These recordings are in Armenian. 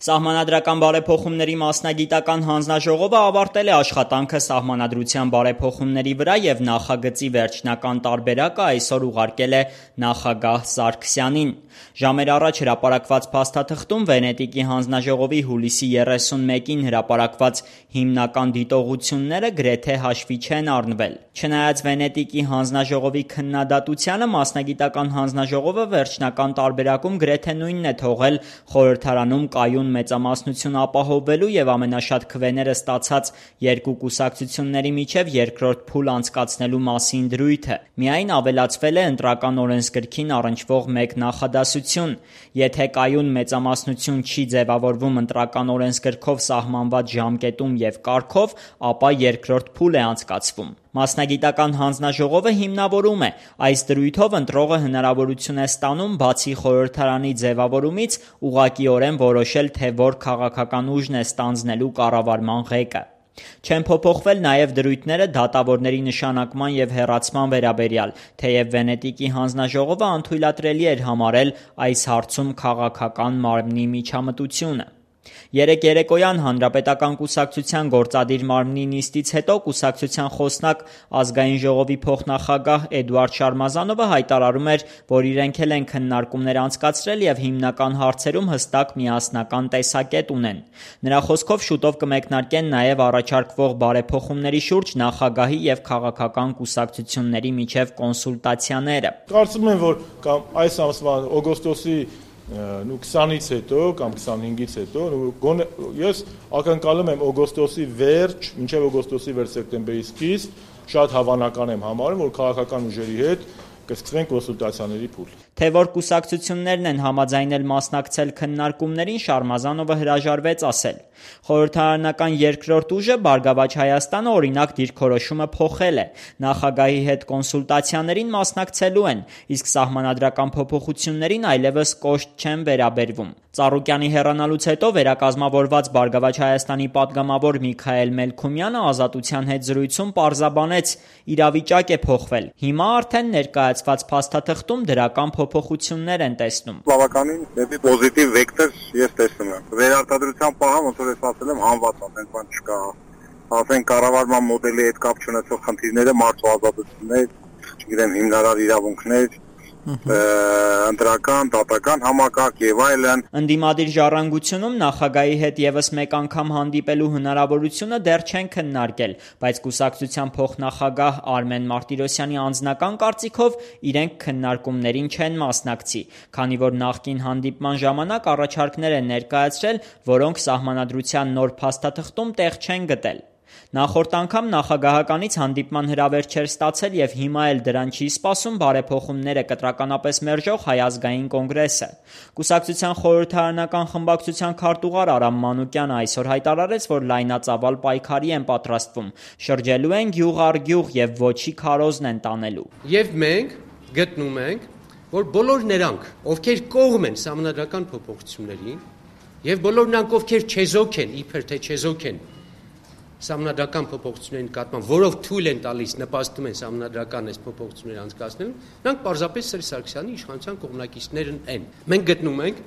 Սահմանադրական բարեփոխումների մասնագիտական հանձնաժողովը ավարտել է աշխատանքը սահմանադրության բարեփոխումների վրա և նախագծի վերջնական տարբերակը այսօր ուղարկել է նախագահ Սարգսյանին։ Ժամեր առաջ հրապարակված փաստաթղթում Վենետիկի հանձնաժողովի հուլիսի 31-ին հրապարակված հիմնական դիտողությունները գրեթե հաշվի չեն առնվել։ Չնայած Վենետիկի հանձնաժողովի քննադատությանը, մասնագիտական հանձնաժողովը վերջնական տարբերակում գրեթե նույնն է թողել խորհրդարանում կայուն մեծամասնություն ապահովելու և ամենաշատ քվեները ստացած երկու կուսակցությունների միջև երկրորդ փուլ անցկացնելու մասին դրույթը։ Միայն ավելացվել է ընտրական օրենսգրքին առնչվող մեկ նախադասություն. եթե կայուն մեծամասնություն չի ձևավորվում ընտրական օրենսգրքով սահմանված ժամկետում և կարգով, ապա երկրորդ փուլ է անցկացվում։ Մասնագիտական հանձնաժողովը հիմնավորում է. այս դրույթով ընտրողը հնարավորություն է ստանում բացի խորհրդարանի ձևավորումից ուղղակիորեն որոշել, թե որ քաղաքական ուժն է ստանձնելու կառավարման ղեկը։ Չեն փոփոխվել նաև դրույթները դատավորների նշանակման և հեռացման վերաբերյալ, թեև Վենետիկի հանձնաժողովը անթույլատրելի էր համարել այս հարցում քաղաքական մարմնի միջամտությունը։ Երեկ երեկոյան Հանրապետական կուսակցության գործադիր մարմնի նիստից հետո կուսակցության խոսնակ Ազգային ժողովի փոխնախագահ Էդուարդ Շարմազանովը հայտարարում էր, որ իրենք էլ են քննարկումներ անցկացրել և հիմնական հարցերում հստակ միասնական տեսակետ ունեն։ Նրա խոսքով շուտով կմեկնարկեն նաև առաջարկվող բարեփոխումների շուրջ նախագահի և քաղաքական կուսակցությունների միջև կոնսուլտացիաները։ Կարծում եմ, որ կամ այս ամսվա օգոստոսի 20-ից հետո կամ 25-ից հետո ես ակնկալում եմ օգոստոսի վերջ, մինչև օգոստոսի վերջ սեպտեմբերի սկիզբ շատ հավանական եմ համարում, որ քաղաքական ուժերի հետ կսկսվեն կոնսուլտացիաների փուլ։ Թե որ կուսակցություններն են համաձայնել մասնակցել քննարկումներին, Շարմազանովը հրաժարվեց ասել։ Խորհրդարանական երկրորդ ուժը Բարգավաճ Հայաստանը օրինակ դիրքորոշումը փոխել է։ Նախագահի հետ կոնսուլտացիաներին մասնակցելու են, իսկ սահմանադրական փոփոխություններին այլևս կոշտ չեն վերաբերվում։ Ծառուկյանի հեռանալուց հետո վերակազմավորված Բարգավաճ Հայաստանի պատգամավոր Միքայել Մելքումյանը Ազատության հետ զրույցում պարզաբանեց՝ իրավիճակ է փոխվել։ Հիմա արդեն ներկայացված փաստաթղթում դրական փոփոխություններ են տեսնում։ Բավականին դեպի պոզիտիվ վեկտոր ես տեսնում եմ։ Վերարտադրության պահը ոնց որ ես ասել եմ հանված, ասենք բան չկա։ Ասենք կառավարման մոդելի հետ կապ չունեցող խնդիրները, մարդու ազատություններ, չգիտեմ, հիմնարար իրավունքներ, ընտրական, դատական համակարգ եւ այլն։ Ընդդիմադիր ժառանգությունում նախագահի հետ եւս մեկ անգամ հանդիպելու հնարավորությունը դեռ չեն քննարկել, բայց կուսակցության փոխնախագահ Արմեն Մարտիրոսյանի անձնական կարծիքով իրենք քննարկումներին չեն մասնակցի, քանի որ նախկին հանդիպման ժամանակ առաջարկներ են ներկայացրել, որոնք սահմանադրության նոր փաստաթղթում տեղ չեն գտել։ Նախորդ անգամ նախագահականից հանդիպման հրավեր չէր ստացել և հիմա էլ դրան չի սպասում բարեփոխումները կտրականապես մերժող Հայ ազգային կոնգրեսը։ Կուսակցության խորհրդարանական խմբակցության քարտուղար Արամ Մանուկյանը այսօր հայտարարեց, որ լայնածավալ պայքարի են պատրաստվում, շրջելու են գյուղ առ գյուղ և ոչի քարոզն են տանելու։ Եվ մենք գտնում ենք, որ բոլոր նրանք, ովքեր կողմ են սահմանադրական փոփոխություններին, և բոլոր նրանք, ովքեր չեզոք են, իբր թե չեզոք են սահմանադրական փոփոխությունների նկատմամբ, որով թույլ են տալիս, նպաստում են սահմանադրական այս փոփոխությունները անցկացնելու, նրանք պարզապես Սերժ Սարգսյանի իշխանության կողմնակիցներն են։ Մենք գտնում ենք,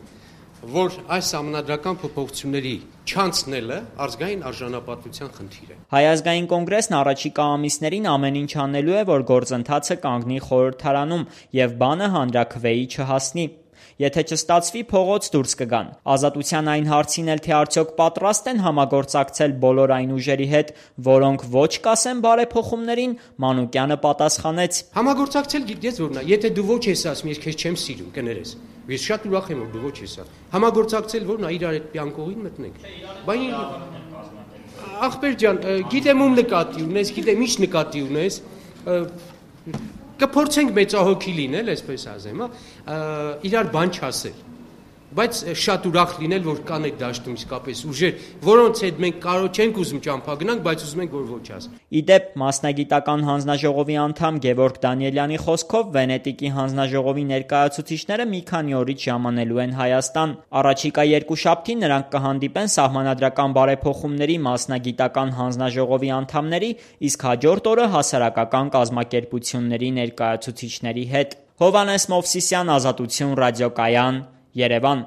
որ այս սահմանադրական փոփոխությունների չանցնելը ազգային արժանապատվության խնդիր է։ Հայ ազգային կոնգրեսն առաջիկա ամիսներին ամեն ինչ անելու է, որ գործընթացը կանգնի խորհրդարանում և բանը հանրաքվեի չհասնի։ Եթե չստացվի, փողոց դուրս կգան։ Ազատության այն հարցին էլ, թե արդյոք պատրաստ են համագործակցել բոլոր այն ուժերի հետ, որոնք ոչ կասեն բարեփոխումներին, Մանուկյանը պատասխանեց. Համագործակցել գիտես որն է, եթե դու ոչ ես ասում, ես քեզ չեմ սիրում, կներես։ Ես շատ ուրախ եմ, որ դու ոչ ես ասում։ Համագործակցել որն է, իրար հետ պյանկողին մտնենք։ Բայց ախպեր ջան, գիտեմ ում նկատի ունես, գիտեմ ինչ նկատի ունես, կփորձենք մեծահոգի լինել, այսպես ասեմ, իրար բան չասել, բայց շատ ուրախ լինել, որ կան այդ դաշտում իսկապես ուժեր, որոնց հետ մենք կարող չենք ուզում ճամփա գնանք, բայց ուզում ենք, որ ոչ ասեն։ Իդեպ, մասնագիտական հանձնաժողովի անդամ Գևորգ Դանիելյանի խոսքով Վենետիկի հանձնաժողովի ներկայացուցիչները մի քանի օրից ժամանելու են Հայաստան։ Առաջիկա երկուշաբթի նրանք կհանդիպեն սահմանադրական բարեփոխումների մասնագիտական հանձնաժողովի անդամների, իսկ հաջորդ օրը հասարակական կազմակերպությունների ներկայացուցիչների հետ։ Հովհաննես Մովսիսյան, Ազատություն ռադիոկայան, Երևան։